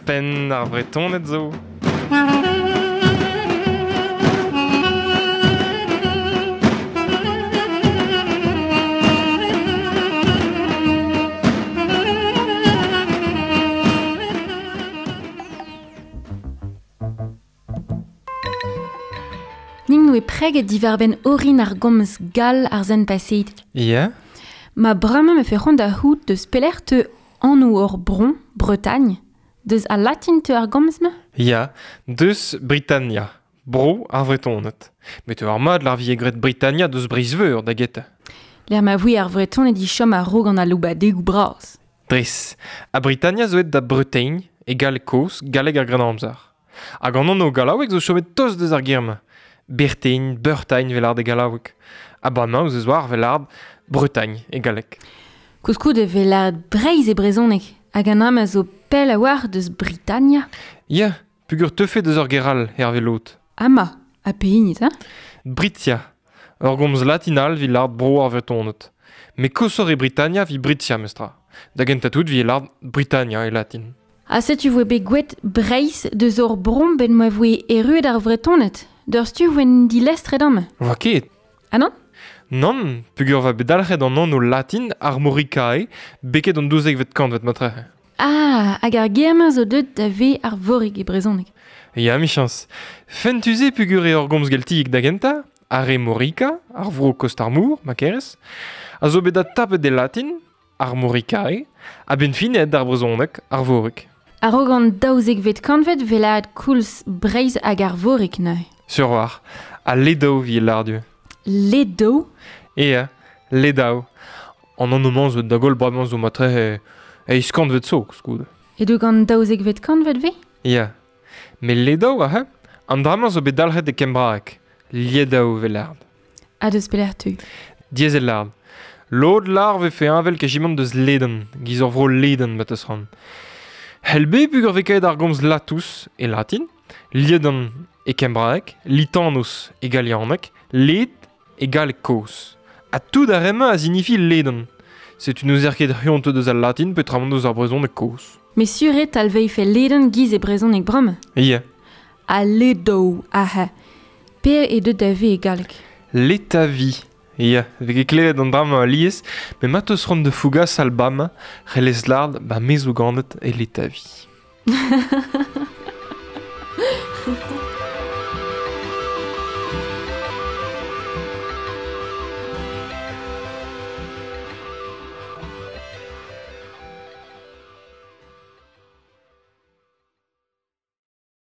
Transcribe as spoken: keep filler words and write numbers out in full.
Penn ar Vretoned zo. Ning noe preget divarben orin ar gomz gal ar zen paseet. Ya. Ma bremañ me fe c'hoant da c'hout deus pelec'h teu anv ur bron, Bretagne, deus al latin teu ar gomz-ma? Ya, deus Britannia, bro ar Vretoned. Met teu ar mad lar vie gret Britannia deus Breizh-Veur da getañ. Lec'h ma voe ar Vretoned i chom a-raok an aloubadegoù bras. Dres, ha Britannia zo aet da Bretagne, e galleg kozh, galleg ar Grennamzer. Hag an anv gallaoueg zo chomet tost deus ar ger-mañ. Bertaigne, Beurtaigne vel ard e gallaoueg. Ha bremañ ouzh eus war vel ard Bretagne e galleg. Koulskoude vel ard Breizh e brezhoneg, hag an am a zo pell a-walc'h deus Britannia. Ya, pugur teufe deus ur ger all, hervez lod. Ama, ha pehini, hein? Britia, ur gomz latin all 'vit lard bro ar Vretoned. Met koshoc'h e Britannia 'vit Britia, mestra. Da gentañ tout 'vit lard Britannia e latin. Ha setu voe bet gwelet Breizh deus ur bron ben ma voe erruet ar Vretoned. D'ur stu voen dilestret amañ. Voa ket. Ah non? Nann, pugur va bet dalc'het an anv latin Armoricae, beket an daouzekvet kantved matrehe. Ah, hag ar ger-mañ zo deuet da ve Arvorig e brezhoneg. Ya, michañs. Fentus eo pugur eo ur gomz geltiek da gentañ, ar Armorica, ar vro kost ar mor, ma kerez, a zo bet adtapet e latin, Armoricae, ha ben fin aet d'ar brezhoneg, Arvorig. A-raok an daouzekvet kantved 'vez lâret koulz Breizh hag Arvorig neuze. Sur war, ha Ledav 'vit lâr-du. Ledav? Ea, Ledav. An anv-mañ zo da goll bremañ zo matrehe eizh kantved zo, koulskoude. E-doug an daouzekvet kantved 'vez? Ya. Met Ledav, aze, an dra-mañ zo bet dalc'het e kembraeg. Lledaw 'vez lâret. Ha deus pelec'h teu? Diaes eo lâret. Lod lâr 'vefe heñvel kejimant deus Ledan, giz ur vro Ledan ma teus c'hoant. C'hell bet pugur 'vez kaet ar gomz Latous e latin, Lledan e kembraeg, Litanus e galianeg, Led e galleg kozh. Ha tout ar re-mañ a zinifi Ledan. Setu n'ouzer ket c'hoant deus al latin peotramant deus ar brezhoneg kozh. Met sur eo talveife Ledan giz e brezhoneg bremañ. Ya. Ha Ledav, aze. Per eo deuet da ve e galleg? Letavi. Ya, 'vez ket klevet an dra-mañ alies, met ma teus c'hoant da fougas al bam, c'hellez lâret ba me zo ganet e Letavi.